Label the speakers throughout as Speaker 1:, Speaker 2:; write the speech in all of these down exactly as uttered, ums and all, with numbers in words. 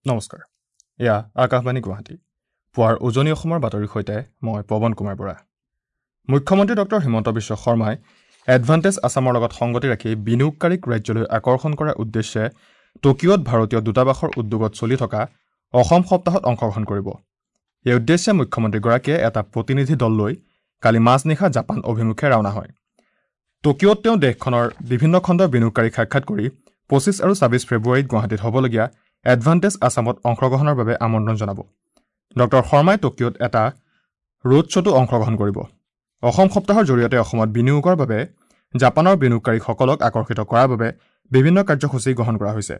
Speaker 1: নমস্কাৰ, এয়া আকাশবাণী গুৱাহাটী। পুৱাৰ উজনি অসমৰ বাতৰিৰ সৈতে মই পৱন কুমাৰ বৰা। মুখ্যমন্ত্ৰী ডক্টৰ হিমন্ত বিশ্ব শৰ্মাই এডভান্টেজ আছামৰ লগত সংগতি ৰাখি বিনিয়োগকাৰীক ৰাজ্যলৈ আকৰ্ষণ কৰাৰ উদ্দেশ্যে টকিঅ'ত ভাৰতীয় দূতাবাসৰ উদ্যোগত চলি থকা অসম সপ্তাহত অংশগ্ৰহণ কৰিব। এই উদ্দেশ্যে মুখ্যমন্ত্ৰীগৰাকীয়ে এটা প্ৰতিনিধি দল লৈ কালি মাজনিশা জাপান অভিমুখে ৰাওনা হয়। টকিঅ'ত তেওঁ দেশখনৰ বিভিন্ন খণ্ডৰ বিনিয়োগকাৰীক সাক্ষাৎ কৰি পঁচিছ আৰু ছাব্বিছ ফেব্ৰুৱাৰীত গুৱাহাটীত হ'বলগীয়া এডভান্টেজ আছামত অংশগ্ৰহণৰ বাবে আমন্ত্ৰণ জনাব। ডক্টৰ শৰ্মাই টকিঅ'ত এটা ৰোড শ্ব'তো অংশগ্ৰহণ কৰিব। অসম সপ্তাহৰ জৰিয়তে অসমত বিনিয়োগৰ বাবে জাপানৰ বিনিয়োগকাৰীসকলক আকৰ্ষিত কৰাৰ বাবে বিভিন্ন কাৰ্যসূচী গ্ৰহণ কৰা হৈছে।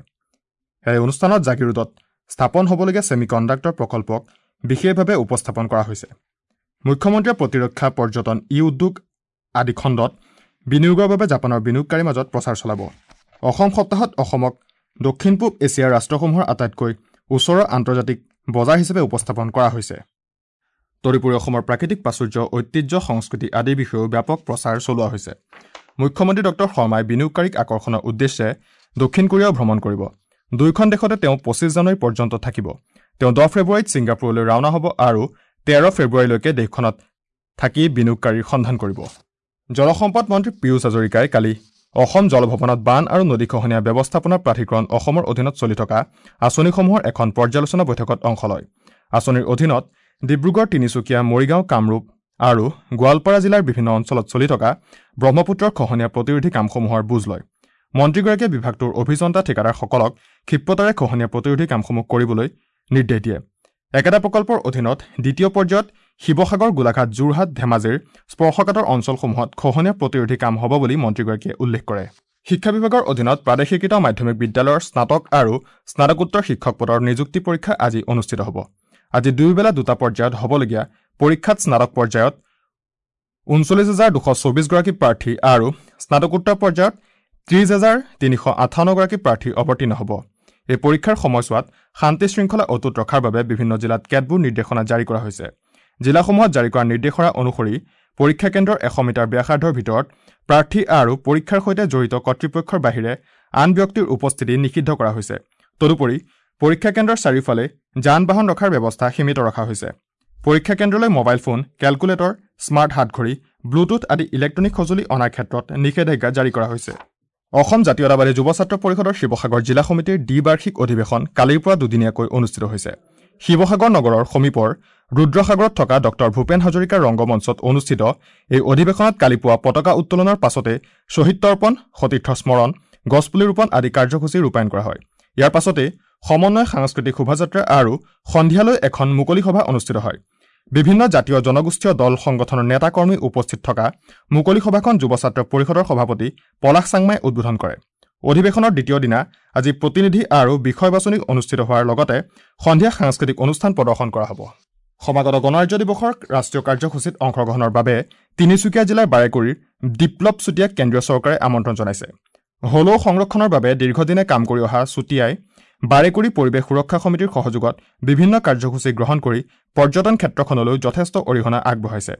Speaker 1: এই অনুষ্ঠানত জাগিৰোডত স্থাপন হ'বলগীয়া ছেমি কণ্ডাক্টৰ প্ৰকল্পক বিশেষভাৱে উপস্থাপন কৰা হৈছে। মুখ্যমন্ত্ৰীয়ে প্ৰতিৰক্ষা, পৰ্যটন, ই উদ্যোগ আদি খণ্ডত বিনিয়োগৰ বাবে জাপানৰ বিনিয়োগকাৰীৰ মাজত প্ৰচাৰ চলাব। অসম সপ্তাহত অসমক দক্ষিণ পূব এছিয়াৰ ৰাষ্ট্ৰসমূহৰ আটাইতকৈ ওচৰৰ আন্তৰ্জাতিক বজাৰ হিচাপে উপস্থাপন কৰা হৈছে। তদুপৰি অসমৰ প্ৰাকৃতিক প্ৰাচুৰ্য, ঐতিহ্য, সংস্কৃতি আদিৰ বিষয়েও ব্যাপক প্ৰচাৰ চলোৱা হৈছে। মুখ্যমন্ত্ৰী ডক্টৰ শৰ্মাই বিনিয়োগকাৰীক আকৰ্ষণৰ উদ্দেশ্যে দক্ষিণ কোৰিয়াও ভ্ৰমণ কৰিব। দুয়োখন দেশতে তেওঁ পঁচিছ জানুৱাৰী পৰ্যন্ত থাকিব। তেওঁ দহ ফেব্ৰুৱাৰীত ছিংগাপুৰলৈ ৰাওনা হ'ব আৰু তেৰ ফেব্ৰুৱাৰীলৈকে দেশখনত থাকি বিনিয়োগকাৰীৰ সন্ধান কৰিব। জলসম্পদ মন্ত্ৰী পীয়ুষ হাজৰিকাই কালি অসম জলভৱনত বান আৰু নদী খহনীয়া ব্যৱস্থাপনা প্ৰাধিকৰণ অসমৰ অধীনত চলি থকা আঁচনিসমূহৰ এখন পৰ্যালোচনা বৈঠকত অংশ লয়। আঁচনিৰ অধীনত ডিব্ৰুগড়, তিনিচুকীয়া, মৰিগাঁও, কামৰূপ আৰু গোৱালপাৰা জিলাৰ বিভিন্ন অঞ্চলত চলি থকা ব্ৰহ্মপুত্ৰৰ খহনীয়া প্ৰতিৰোধী কামসমূহৰ বুজ লয়। মন্ত্ৰীগৰাকীয়ে বিভাগটোৰ অভিযন্তা, ঠিকাদাৰসকলক ক্ষিপ্ৰতাৰে খহনীয়া প্ৰতিৰোধী কামসমূহ কৰিবলৈ নিৰ্দেশ দিয়ে। একেটা প্ৰকল্পৰ অধীনত দ্বিতীয় পৰ্যায়ত শিৱসাগৰ, গোলাঘাট, যোৰহাট, ধেমাজিৰ স্পৰ্শকাতৰ অঞ্চলসমূহত খহনীয়া প্ৰতিৰোধী কাম হ'ব বুলি মন্ত্ৰীগৰাকীয়ে উল্লেখ কৰে। শিক্ষা বিভাগৰ অধীনত প্ৰাদেশিকৃত মাধ্যমিক বিদ্যালয়ৰ স্নাতক আৰু স্নাতকোত্তৰ শিক্ষক পদৰ নিযুক্তি পৰীক্ষা আজি অনুষ্ঠিত হ'ব। আজি দুয়োবেলা দুটা পৰ্যায়ত হ'বলগীয়া পৰীক্ষাত স্নাতক পৰ্যায়ত ঊনচল্লিছ হাজাৰ দুশ চৌবিছগৰাকী প্ৰাৰ্থী আৰু স্নাতকোত্তৰ পৰ্যায়ত ত্ৰিছ হাজাৰ তিনিশ আঠাৱন্নগৰাকী প্ৰাৰ্থী অৱতীৰ্ণ হ'ব। এই পৰীক্ষাৰ সময়ছোৱাত শান্তি শৃংখলা অটুট ৰখাৰ বাবে বিভিন্ন জিলাত কেতবোৰ নিৰ্দেশনা জাৰি কৰা হৈছে। জিলাসমূহত জাৰি কৰা নিৰ্দেশনা অনুসৰি পৰীক্ষা কেন্দ্ৰৰ এশ মিটাৰ ব্যাসাৰ্ধৰ ভিতৰত প্ৰাৰ্থী আৰু পৰীক্ষাৰ সৈতে জড়িত কৰ্তৃপক্ষৰ বাহিৰে আন ব্যক্তিৰ উপস্থিতি নিষিদ্ধ কৰা হৈছে। তদুপৰি পৰীক্ষা কেন্দ্ৰৰ চাৰিওফালে যান বাহন ৰখাৰ ব্যৱস্থা সীমিত ৰখা হৈছে। পৰীক্ষা কেন্দ্ৰলৈ মোবাইল ফোন, কেলকুলেটৰ, স্মাৰ্ট হাতঘড়ী, ব্লুটুথ আদি ইলেক্ট্ৰনিক সঁজুলি অনাৰ ক্ষেত্ৰত নিষেধাজ্ঞা জাৰি কৰা হৈছে। অসম জাতীয়তাবাদী যুৱ ছাত্ৰ পৰিষদৰ শিৱসাগৰ জিলা সমিতিৰ দ্বিবাৰ্ষিক অধিৱেশন কালিৰ পৰা দুদিনীয়াকৈ অনুষ্ঠিত হৈছে। শিৱসাগৰ নগৰৰ সমীপৰ ৰুদ্ৰসাগৰত থকা ডক্টৰ ভূপেন হাজৰিকাৰ ৰংগমঞ্চত অনুষ্ঠিত এই অধিৱেশনত কালি পুৱা পতাকা উত্তোলনৰ পাছতে শ্বহীদ তৰ্পণ, সতীৰ্থ স্মৰণ, গছপুলি ৰোপণ আদি কাৰ্যসূচী ৰূপায়ণ কৰা হয়। ইয়াৰ পাছতে সমন্বয় সাংস্কৃতিক শোভাযাত্ৰা আৰু সন্ধিয়ালৈ এখন মুকলি সভা অনুষ্ঠিত হয়। বিভিন্ন জাতীয় জনগোষ্ঠীয় দল সংগঠনৰ নেতাকৰ্মী উপস্থিত থকা মুকলি সভাখন যুৱ ছাত্ৰ পৰিষদৰ সভাপতি পলাশ চাংমাই উদ্বোধন কৰে। অধিৱেশনৰ দ্বিতীয় দিনা আজি প্ৰতিনিধি আৰু বিষয় বাছনি অনুষ্ঠিত হোৱাৰ লগতে সন্ধিয়া সাংস্কৃতিক অনুষ্ঠান প্ৰদৰ্শন কৰা হ'ব। সমাগত গণৰাজ্য দিৱসৰ ৰাষ্ট্ৰীয় কাৰ্যসূচীত অংশগ্ৰহণৰ বাবে তিনিচুকীয়া জিলাৰ বাৰেকুৰিৰ বিপ্লৱ চুতীয়াক কেন্দ্ৰীয় চৰকাৰে আমন্ত্ৰণ জনাইছে। হলৌ সংৰক্ষণৰ বাবে দীৰ্ঘদিনে কাম কৰি অহা চুতীয়াই বাৰেকুৰি পৰিৱেশ সুৰক্ষা সমিতিৰ সহযোগত বিভিন্ন কাৰ্যসূচী গ্ৰহণ কৰি পৰ্যটন ক্ষেত্ৰখনলৈ যথেষ্ট অৰিহণা আগবঢ়াইছে।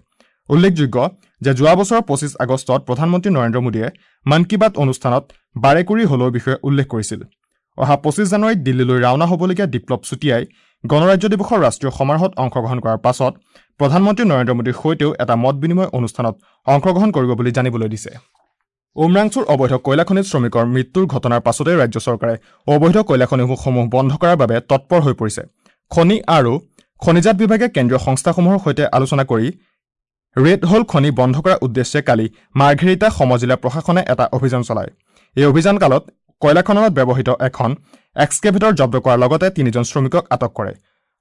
Speaker 1: উল্লেখযোগ্য যে যোৱা বছৰৰ পঁচিছ আগষ্টত প্ৰধানমন্ত্ৰী নৰেন্দ্ৰ মোদীয়ে মন কী বাত অনুষ্ঠানত বাৰেকুৰি হলৌৰ বিষয়ে উল্লেখ কৰিছিল। অহা পঁচিছ জানুৱাৰীত দিল্লীলৈ ৰাওনা হ'বলগীয়া বিপ্লৱ চুতীয়াই গণৰাজ্য দিৱসৰ ৰাষ্ট্ৰীয় সমাৰোহত অংশগ্ৰহণ কৰাৰ পাছত প্ৰধানমন্ত্ৰী নৰেন্দ্ৰ মোদীৰ সৈতেও এটা মত বিনিময় অনুষ্ঠানত অংশগ্ৰহণ কৰিব বুলি জানিবলৈ দিছে। উমৰাংচুৰ অবৈধ কয়লা খনিত শ্ৰমিকৰ মৃত্যুৰ ঘটনাৰ পাছতেই ৰাজ্য চৰকাৰে অবৈধ কয়লা খনিসমূহ বন্ধ কৰাৰ বাবে তৎপৰ হৈ পৰিছে। খনি আৰু খনিজাত বিভাগে কেন্দ্ৰীয় সংস্থাসমূহৰ সৈতে আলোচনা কৰি ৰেড হোল খনি বন্ধ কৰাৰ উদ্দেশ্যে কালি মাৰ্ঘেৰিটা সমজিলা প্ৰশাসনে এটা অভিযান চলায়। এই অভিযান কালত কয়লা খননত ব্যৱহৃত এখন এক্সকেভেটৰ জব্দ কৰাৰ লগতে তিনিজন শ্ৰমিকক আটক কৰে।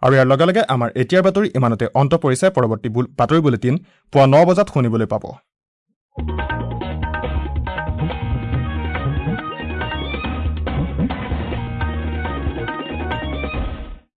Speaker 1: আৰু ইয়াৰ লগে লগে আমাৰ এতিয়াৰ বাতৰি ইমানতে অন্ত পৰিছে। পৰৱৰ্তী বাতৰি বুলেটিন পুৱা ন বজাত শুনিবলৈ পাব।